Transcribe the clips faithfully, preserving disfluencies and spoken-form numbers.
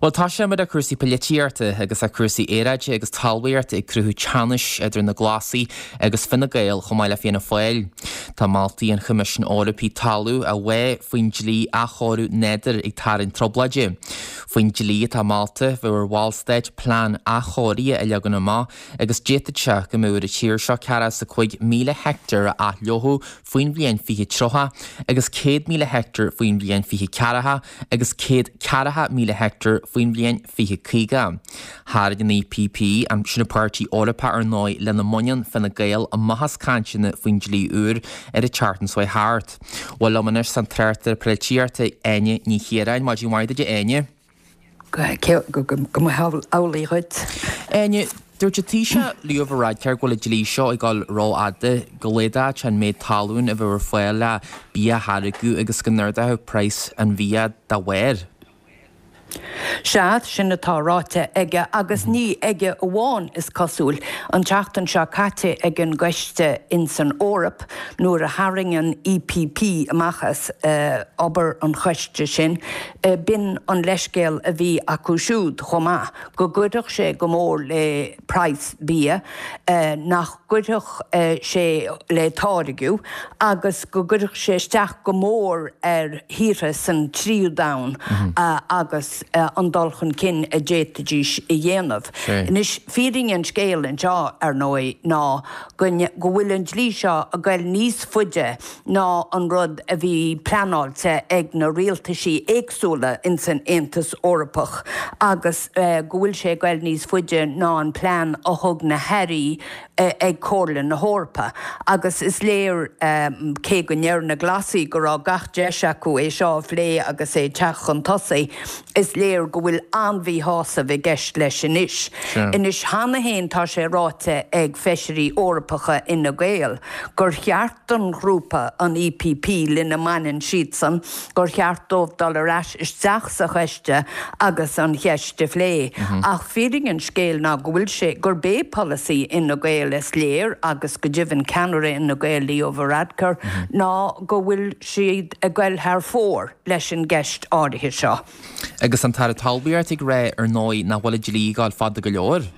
Well tosóidh muid ar cúrsaí polaitíochta agus ar cúrsaí aeráide agus talmhaíochta ag cruthú teannais idir na Glasaigh agus Fine Gael chomh maith le Fianna Fáil. Tá moltaí an Choimisiúin Eorpaigh talamh a bhá faoin dlí athchóiriú nádúir ag tarraingt trioblóide. Faoin dlí atá molta bheadh ar bhallstáit plean athchóirithe a leagan amach agus d'fhéadfadh sé go mbeadh ar an tír seo ceathracha is a cúig míle heicteár a athfhliuchadh faoin bhliain fiche tríocha agus céad míle heicteár faoin bhliain fiche ceathracha agus céad ceathracha míle heicteár faoin bhliain fiche caoga. Tharraing an EPP, an sin an páirtí Eorpach ar ndóigh lena mbaineann Fine Gael amach as cainteanna faoin dlí úr ar an tseachtain seo thart. Bhuel liom anois an tráchtaire polaitíochta Áine Ní Chiaráin, maidin mhaith duit a Áine. Go mba amhlaidh dhuit. Áine, dúirt an Taoiseach Leo Varadkar go bhfuil an dlí seo ag dul rófhada, go laghdódh sé an méid talún a bheadh ar fáil le bia a tháirgeadh agus go n-ardódh praghas an bhia dá bharr. Sea, sin atá ráite aige agus ní aige amháin is cosúil. An tseachtain seo caite ag an gcoiste ins an Eoraip nuair a tharraing an EPP amach as obair an choiste sin, b'in an leithscéal a bhí acu siúd chomh maith, go gcuirfeadh sé go mór le praghas bia, nach gcuirfeadh sé le táirgeadh agus go gcuirfeadh sé isteach go mór ar thíortha san tríú domhan agus an dul chun cinn a d'fhéadfaidís a dhéanamh. Anois, fírinne an scéil anseo, ar ndóigh, ná go bhfuil an dlí seo ag goil níos faide ná an rud a bhí pleanáilte ag na rialtaisí éagsúla ins an Aontas Eorpach agus go bhfuil sé ag goil níos faide ná an plean a thug na hairí ag Comhairle na hEorpa. Agus is léir, cé go ndeir na Glasaigh go raibh gach deis acu é seo a phlé agus é ag teacht chun tosaigh, is léir go bhfuil an-mhíshásamh i gceist leis anois. Anois, cheana féin tá sé ráite ag feisirí Eorpacha Fhine Gael gur cheart don ghrúpa, an EPP, lena mbaineann siadsan, gur cheart dóibh dul ar ais isteach sa choiste agus an cheist a phlé. Ach fírinne an scéil ná go bhfuil sé, gurb é polasaí Fhine Gael is léir, agus go deimhin ceannaire Fhine Gael, Leo Varadkar, ná go bhfuil siad ag goil thar fóir leis an gceist áirithe seo. Agus an tAire Talmhaíochta ag rá ar ndóigh nach bhfuil an dlí ag gabháil fada go leor.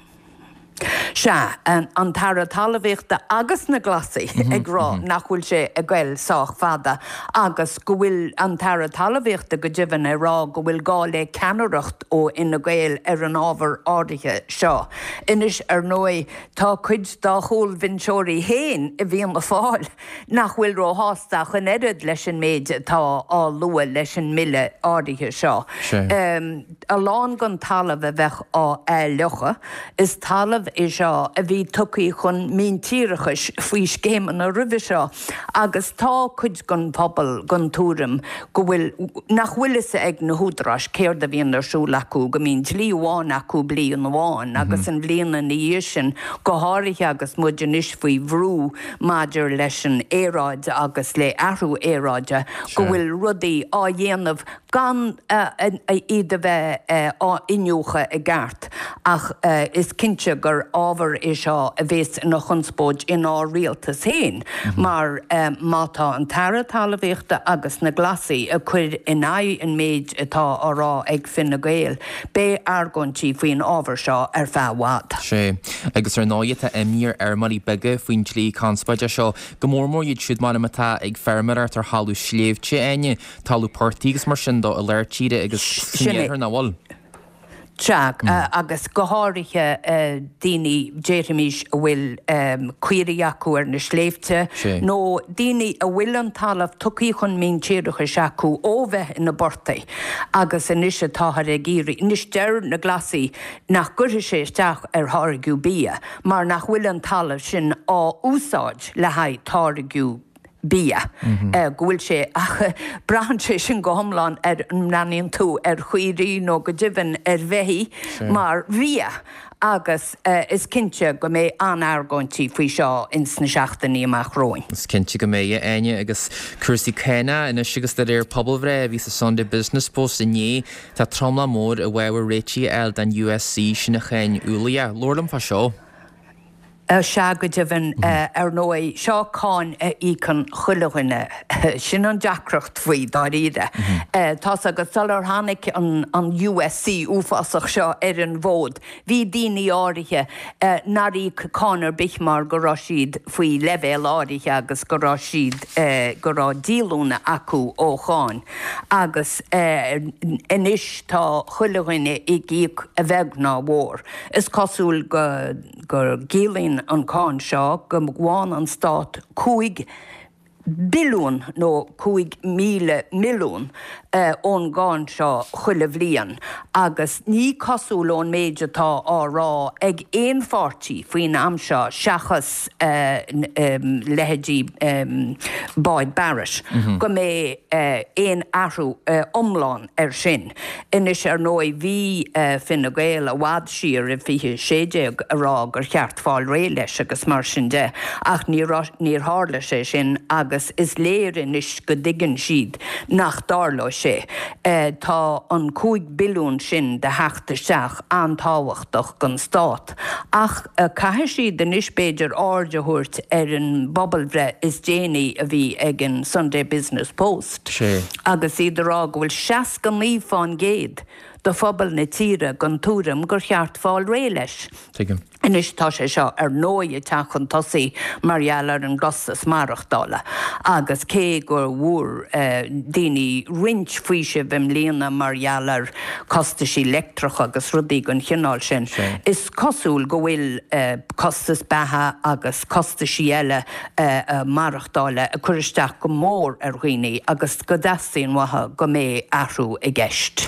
Sea, an tAire Talmhaíochta agus na Glasaigh ag rá nach bhfuil sé ag goil sách fada agus go bhfuil an tAire Talmhaíochta go deimhin ag rá go bhfuil gá le ceannaireacht ó Fhine Gael ar an ábhar áirithe seo. Anois, ar ndóigh, tá cuid dá chúlbhinseoirí féin i bhFianna Fáil nach bhfuil róshásta ach an oiread leis an méid atá á lua leis an mbille áirithe seo. A lán den talamh a bheadh á athfhliuchadh, is talamh é seo a bhí tugtha chun míntíreachais faoi scéimeanna roimhe seo agus tá cuid den phobal den tuairim go bhfuil, nach bhfuil fhios ag na húdaráis céard a bhíonn ar siúl acu, go mbíonn dlí amháin acu bliain amháin agus an bhliain ina dhiaidh sin, go háirithe agus muid anois faoi bhrú maidir leis an aeráid agus le athrú aeráide, go bhfuil rudaí á dhéanamh gan iad a bheith á iniúchadh i gceart. Ach is cinnte gur ábhar é seo a bhéas ina chonspóid inár rialtas féin, mar má tá an tAire Talmhaíochta agus na Glasaigh ag cur in aghaidh an méid atá á rá ag Fine Gael, beidh argóintí faoin ábhar seo ar feadh i bhfad. Sea, agus ar ndóigh tá imní ar fheirmeoirí beaga faoin dlí conspóideach seo, go mór mór iad siúd mar atá ag feirmeoireacht ar thalamh sléibhte, Áine, talamh portaigh agus mar sin dó i lár tíre agus san iarthar, nach bhfuil? Sea, agus go háirithe daoine, déarfaimis, a bhfuil caoirigh acu ar na sléibhte, nó daoine a bhfuil an talamh tugtha chun míntíreachais acu ó bheith ina bportaigh agus anois atáthar ag iarraidh, anois deir na Glasaigh nach gcuirfidh sé isteach ar tháirgeadh bia mar nach bhfuil an talamh sin á úsáid le haghaidh táirgeadh bia, go bhfuil sé, ach braitheann sé sin go hiomlán ar an mbreathnaíonn tú ar chaoirigh nó go deimhin ar bheithígh mar bhia agus is cinnte go mbeidh an-argóintí faoi seo ins na seachtainí amach romhainn. Is cinnte go mbeidh, a Áine, agus cúrsaí cánach anois agus de réir pobalbhreith a bhí sa Sunday Business Post inné, tá tromlach mór i bhfabhar réitigh a fháil don USC, sin an cháin ualaithe. Labhair liom fá seo. Sea go deimhin ar ndóigh, seo cáin a íocann chuile dhuine. Sin an deacracht faoi, dáiríre. Tá's agat, sular tháinig an USC uafásach seo ar an bhfód, bhí daoine áirithe nár íoc cáin ar bith mar go raibh siad faoi leibhéal áirithe agus go raibh siad, go raibh díolúine acu ó cháin. Agus anois tá chuile dhuine ag íoc a bheag ná a mhór. Is cosúil go. go gciallaíonn an cáin seo go bhfaigheann an stát cúig billiún nó cúig míle milliún ón gcáin seo chuile bhliain agus ní cosúil ón méid atá á rá ag aon pháirtí faoin am seo seachas leithéidí Boyd Barrett go mbeidh aon athrú iomlán air sin. Anois, ar ndóigh, bhí Fine Gael i bhfad siar i fiche sé déag a rá gur cheart fáil réidh leis agus mar sin de, ach níor níor tharla sé sin agus is léir anois go dtuigeann siad nach dtarlóidh sé. Tá an cúig billiún sin de theacht isteach an-tábhachtach don stát ach caithfidh siad anois b'fhéidir aird a thabhairt ar an bpobalbhreith is déanaí a bhí ag an Sunday Business Post agus iad a rá go bhfuil seasca naoi fán gcéad de phobal na tíre den tuairim gur cheart fáil réidh leis. Tuigim. Anois tá sé seo ar ndóigh ag teacht chun tosaigh mar gheall ar an gcostas maireachtála agus cé go bhfuair daoine roinnt faoisimh i mbliana mar gheall ar chostaisí leictreach agus rudaí den chineál sin, is cosúil go bhfuil costas beatha agus costaisí eile maireachtála ag cur isteach go mór ar dhaoine agus go dteastaíonn uathu go mbeidh athrú i gceist.